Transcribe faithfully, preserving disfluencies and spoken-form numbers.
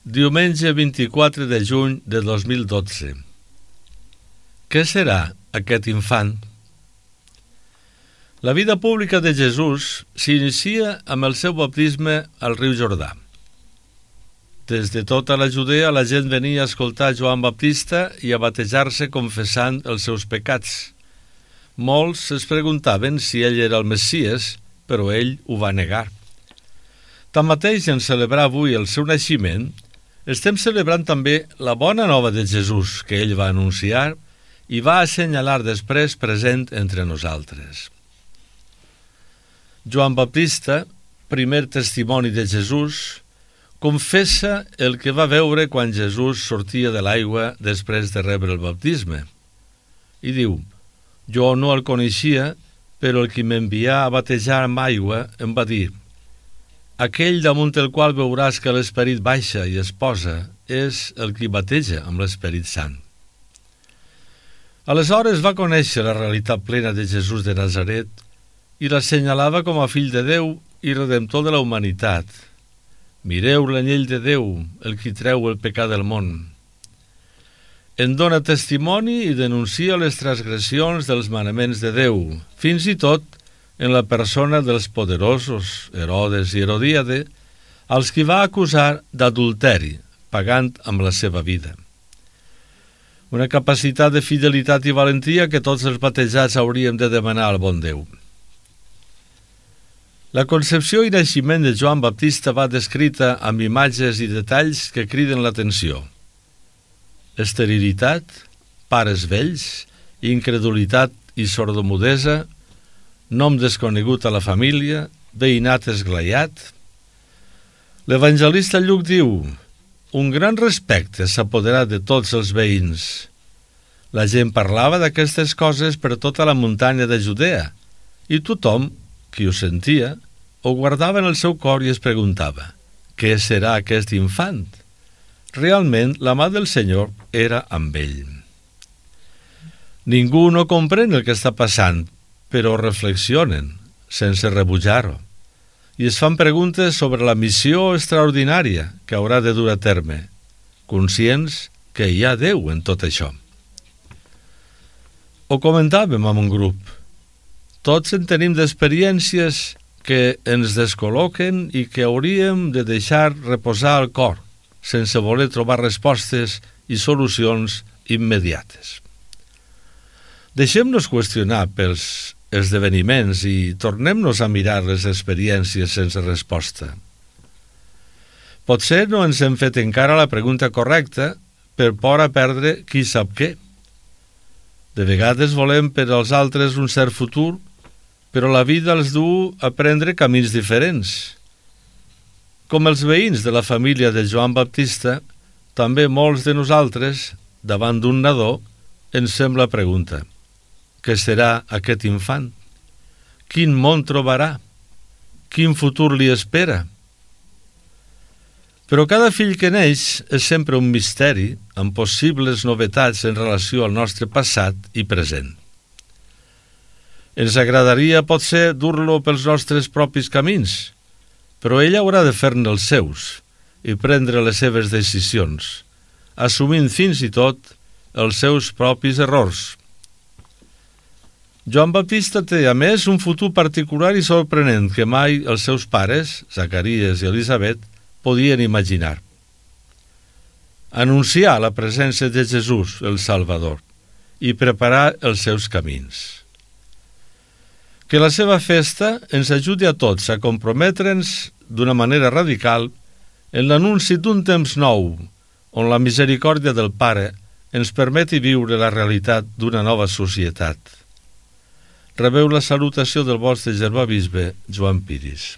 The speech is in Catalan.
Diumenge vint-i-quatre de juny de dos mil dotze. Què serà aquest infant? La vida pública de Jesús s'inicia amb el seu baptisme al riu Jordà. Des de tota la Judea la gent venia a escoltar Joan Baptista i a batejar-se confessant els seus pecats. Molts es preguntaven si ell era el Messies, però ell ho va negar. Tanmateix, en celebrar avui el seu naixement, estem celebrant també la bona nova de Jesús que ell va anunciar i va assenyalar després present entre nosaltres. Joan Baptista, primer testimoni de Jesús, confessa el que va veure quan Jesús sortia de l'aigua després de rebre el baptisme. I diu: «Jo no el coneixia, però el qui m'envià a batejar amb aigua em va dir: aquell damunt el qual veuràs que l'Esperit baixa i es posa és el qui bateja amb l'Esperit Sant». Aleshores va conèixer la realitat plena de Jesús de Nazaret i l'assenyalava com a fill de Déu i redemptor de la humanitat. «Mireu l'anyell de Déu, el qui treu el pecat del món». En dona testimoni i denuncia les transgressions dels manaments de Déu, fins i tot en la persona dels poderosos, Herodes i Herodíade, als qui va acusar d'adulteri, pagant amb la seva vida. Una capacitat de fidelitat i valentia que tots els batejats hauríem de demanar al bon Déu. La concepció i naixement de Joan Baptista va descrita amb imatges i detalls que criden l'atenció. Esterilitat, pares vells, incredulitat i sordomudesa, nom desconegut a la família, veïnat esglaiat. L'evangelista Lluc diu: «Un gran respecte s'apoderà de tots els veïns». La gent parlava d'aquestes coses per tota la muntanya de Judea i tothom, qui ho sentia, ho guardava en el seu cor i es preguntava: «Què serà aquest infant?» Realment, la mà del Senyor era amb ell. Ningú no comprèn el que està passant, però reflexionen, sense rebutjar-ho, i es fan preguntes sobre la missió extraordinària que haurà de dur a terme, conscients que hi ha Déu en tot això. Ho comentàvem amb un grup. Tots en tenim d'experiències que ens descol·loquen i que hauríem de deixar reposar al cor, sense voler trobar respostes i solucions immediates. Deixem-nos qüestionar pels esdeveniments i tornem-nos a mirar les experiències sense resposta. Potser no ens hem fet encara la pregunta correcta per por a perdre qui sap què. De vegades volem per als altres un cert futur, però la vida els du a prendre camins diferents. Com els veïns de la família de Joan Baptista, també molts de nosaltres, davant d'un nadó, ens fem la pregunta: què serà aquest infant? Quin món trobarà? Quin futur li espera? Però cada fill que neix és sempre un misteri amb possibles novetats en relació al nostre passat i present. Ens agradaria potser dur-lo pels nostres propis camins, però ell haurà de fer-ne els seus i prendre les seves decisions, assumint fins i tot els seus propis errors. Joan Baptista té, a més, un futur particular i sorprenent que mai els seus pares, Zacaries i Elisabet, podien imaginar. Anunciar la presència de Jesús, el Salvador, i preparar els seus camins. Que la seva festa ens ajudi a tots a comprometre'ns d'una manera radical en l'anunci d'un temps nou, on la misericòrdia del Pare ens permeti viure la realitat d'una nova societat. Rebeu la salutació del vostre germà bisbe Joan Piris.